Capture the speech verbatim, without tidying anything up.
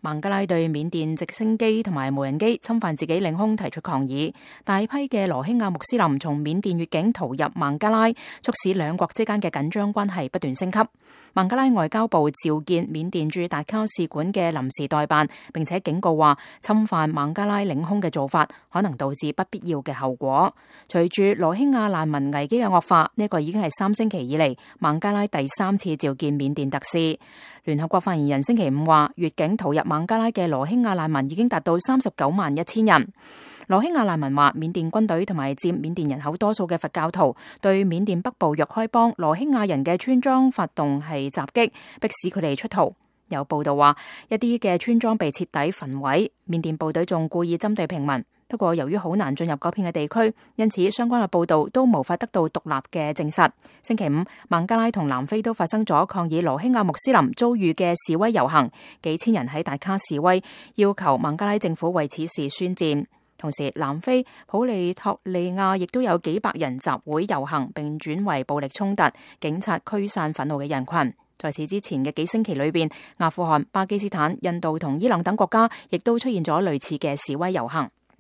孟加拉對緬甸直升機同埋無人機侵犯自己領空提出抗議，大批嘅羅興亞穆斯林從緬甸越境逃入孟加拉，促使兩國之間嘅緊張關係不斷升級。孟加拉外交部召見緬甸駐達卡使館嘅臨時代辦，並且警告話，侵犯孟加拉領空嘅做法可能導致不必要嘅後果。隨住羅興亞難民危機嘅惡化，呢、這個已經係三星期以嚟孟加拉第三次召見緬甸特使。聯合國發言人星期五話，越境逃入孟加拉嘅羅興亞難民已經達到三十九萬一千人。羅興亞難民話，緬甸軍隊同埋佔緬甸人口多數嘅佛教徒對緬甸北部若開邦羅興亞人嘅村莊發動係襲擊，迫使佢哋出逃。有報道話，一啲嘅村莊被徹底焚毀，緬甸部隊仲故意針對平民。不過由於好難進入嗰片嘅地區，因此相關嘅報道都無法得到獨立嘅證實。星期五，孟加拉同南非都發生咗抗議羅興亞穆斯林遭遇嘅示威遊行，幾千人喺達卡示威，要求孟加拉政府為此事宣戰。同時，南非普利托利亞亦都有幾百人集會遊行，並轉為暴力衝突，警察驅散憤怒嘅人群。在此之前嘅幾星期裏邊，阿富汗、巴基斯坦、印度同伊朗等國家亦都出現咗類似嘅示威遊行。